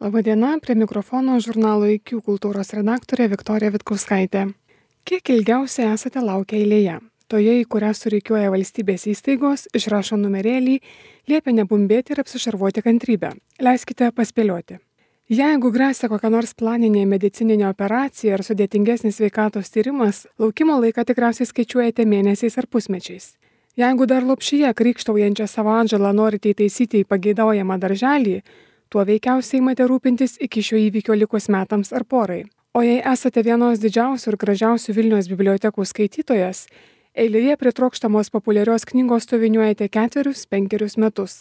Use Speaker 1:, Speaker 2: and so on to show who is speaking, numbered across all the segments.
Speaker 1: Labadiena, prie mikrofono žurnalo IQ kultūros redaktorė Viktorija Vitkauskaitė. Kiek ilgiausiai esate laukę eilėje? Toje, į kurią surikiuoja valstybės įstaigos, išrašo numerėlį, liepia nebumbėti ir apsišarvuoti kantrybę. Leiskite paspėlioti. Jeigu gresia kokia nors planinė medicininė operacija ar sudėtingesnis sveikatos tyrimas, laukimo laiką tikriausiai skaičiuojate mėnesiais ar pusmečiais. Jeigu dar lopšyje krykštaujančią savo atžalą norite įtaisyti į pageidaujamą darželį, tuo veikiausiai imate rūpintis iki šio įvykio likus metams ar porai. O jei esate vienos didžiausių ir gražiausių Vilniaus bibliotekų skaitytojas, eilėje prie trokštamos populiarios knygos stoviniuojate 4-5 metus.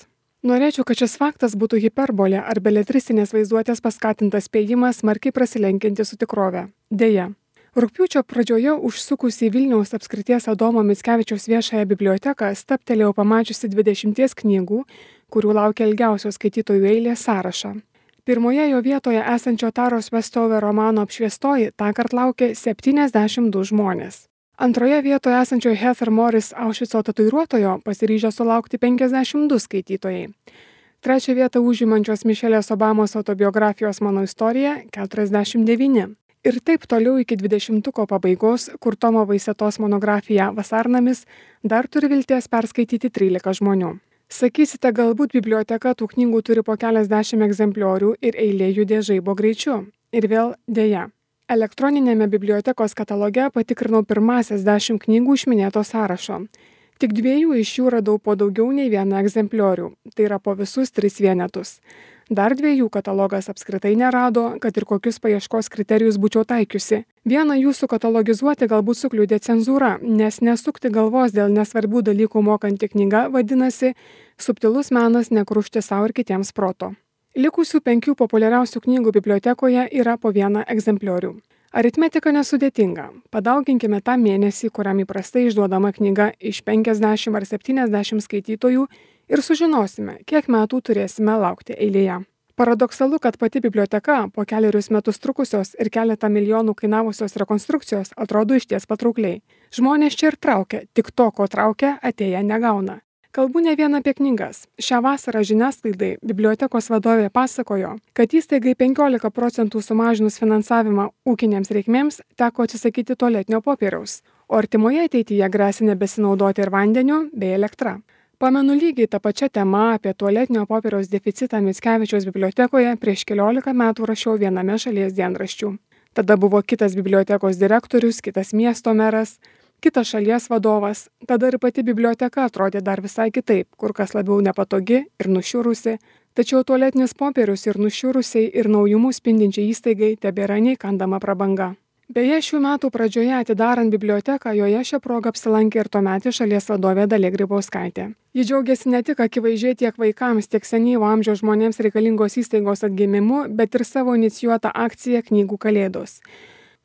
Speaker 1: Norėčiau, kad šis faktas būtų hiperbolė ar beletristinės vaizduotės paskatintas spėjimas smarkiai prasilenkianti su tikrove. Deja. Rugpjūčio pradžioje užsukusi į Vilniaus apskrities Adomo Mickevičiaus viešąją biblioteką stabtelėjau pamačiusi 20 knygų, kurių laukia ilgiausios skaitytojų eilės sąrašą. Pirmoje jo vietoje esančio Taros Vestover romano Apšviestoji tąkart laukia 72 žmonės. Antroje vietoje esančio Heather Morris Aušvico tatuiruotojo pasiryžę sulaukti 52 skaitytojai. Trečią vietą užimančios Mišelės Obamos autobiografijos Mano istorija 49. Ir taip toliau iki 20-tuko pabaigos, kur Tomo Vaisetos monografija Vasarnamis dar turi vilties perskaityti 13 žmonių. Sakysite, galbūt biblioteka tų knygų turi po keliasdešimt egzempliorių ir eilė judė žaibo greičiu. Ir vėl deja. Elektroninėme bibliotekos kataloge patikrinau pirmasias 10 knygų iš minėto sąrašo. Tik 2 iš jų radau po daugiau nei 1 egzempliorių, tai yra po visus 3 vienetus. Dar 2 katalogas apskritai nerado, kad ir kokius paieškos kriterijus būčiau taikiusi. Vieną jų sukatalogizuoti galbūt sukliudė cenzūra, nes nesukti galvos dėl nesvarbių dalykų mokanti knyga vadinasi Subtilus menas nekrušti savo ir kitiems proto. Likusių 5 populiariausių knygų bibliotekoje yra po 1 egzempliorių. Aritmetika nesudėtinga. Padauginkime tą mėnesį, kuriam įprastai išduodama knyga iš 50 ar 70 skaitytojų ir sužinosime, kiek metų turėsime laukti eilėje. Paradoksalu, kad pati biblioteka po 4 metus trukusios ir keletą milijonų kainavusios rekonstrukcijos atrodo išties patraukliai. Žmonės čia ir traukia, tik to, ko traukia, atėję negauna. Kalbu ne vien apie knygas. Šią vasarą žiniasklaidai bibliotekos vadovė pasakojo, kad įstaigai 15% sumažinus finansavimą ūkinėms reikmėms teko atsisakyti tualetinio popieriaus, o artimoje ateityje gresia nebesinaudoti ir vandeniu bei elektra. Pamenu lygiai tą pačią temą apie tualetinio popieriaus deficitą Mickevičiaus bibliotekoje prieš 14 metų rašiau viename šalies dienraščių. Tada buvo kitas bibliotekos direktorius, kitas miesto meras, kitas šalies vadovas, tada ir pati biblioteka atrodė dar visai kitaip, kur kas labiau nepatogi ir nušiurusi, tačiau tualetinis popierius ir nušiurusiai ir naujumų spindinčiai įstaigai tebėra neįkandama prabanga. Beje, šių metų pradžioje atidarant biblioteką, joje šią progą apsilankė ir tuometė šalies vadovė Dalia Grybauskaitė. Ji džiaugiasi ne tik akivaizdžiai tiek vaikams, tiek senyvo amžiaus žmonėms reikalingos įstaigos atgimimu, bet ir savo inicijuotą akciją Knygų kalėdos.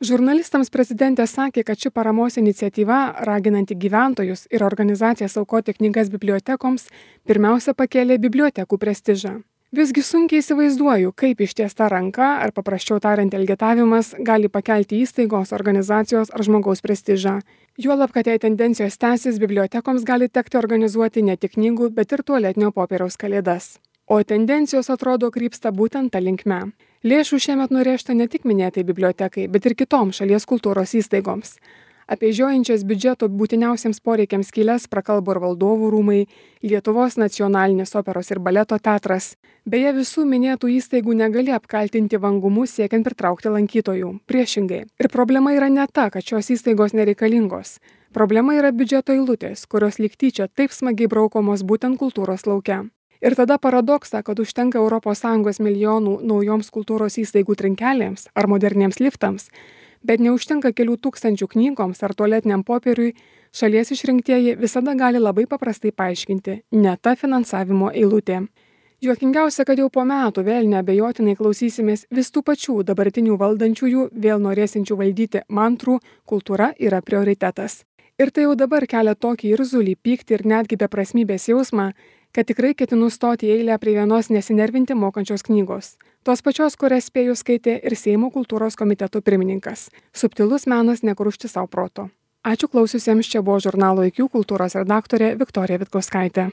Speaker 1: Žurnalistams prezidentė sakė, kad ši paramos iniciatyva, raginanti gyventojus ir organizacijas aukoti knygas bibliotekoms, pirmiausia pakėlė bibliotekų prestižą. Visgi sunkiai įsivaizduoju, kaip ištiesta ranka, ar paprasčiau tariant elgetavimas, gali pakelti įstaigos, organizacijos ar žmogaus prestižą. Juolab, kad jei tendencijos tęsis, bibliotekoms gali tekti organizuoti ne tik knygų, bet ir tualetinio popieriaus kalėdas. O tendencijos atrodo krypsta būtent tą linkme. Lėšų šiemet nurėžta ne tik minėtai bibliotekai, bet ir kitoms šalies kultūros įstaigoms. Apie žiojančias biudžeto būtiniausiems poreikiams skylės prakalbo ir Valdovų rūmai, Lietuvos nacionalinis operos ir baleto teatras. Beje, visų minėtų įstaigų negali apkaltinti vangumu siekiant pritraukti lankytojų. Priešingai. Ir problema yra ne ta, kad šios įstaigos nereikalingos. Problema yra biudžeto eilutės, kurios lyg tyčia taip smagiai braukomos būtent kultūros lauke. Ir tada paradoksą, kad užtenka ES milijonų naujoms kultūros įstaigų trinkelėms ar moderniems liftams, bet neužtenka kelių tūkstančių knygoms ar tualetiniam popieriui, šalies išrinktieji visada gali labai paprastai paaiškinti – ne ta finansavimo eilutė. Juokingiausia, kad jau po metų vėl neabejotinai klausysimės vis tų pačių dabartinių valdančiųjų, vėl norėsinčių valdyti mantrų kultūra yra prioritetas. Ir tai jau dabar kelia tokį irzulį, pyktį ir netgi beprasmybės jausmą, kad tikrai ketinu stoti į eilę prie vienos nesinervinti mokančios knygos. Tos pačios, kurias spėjau skaitė ir Seimo kultūros komiteto pirmininkas. Subtilus menas nekrušti savo proto. Ačiū klausiusiems, čia buvo žurnalo IQ kultūros redaktorė Viktorija Vitkauskaitė.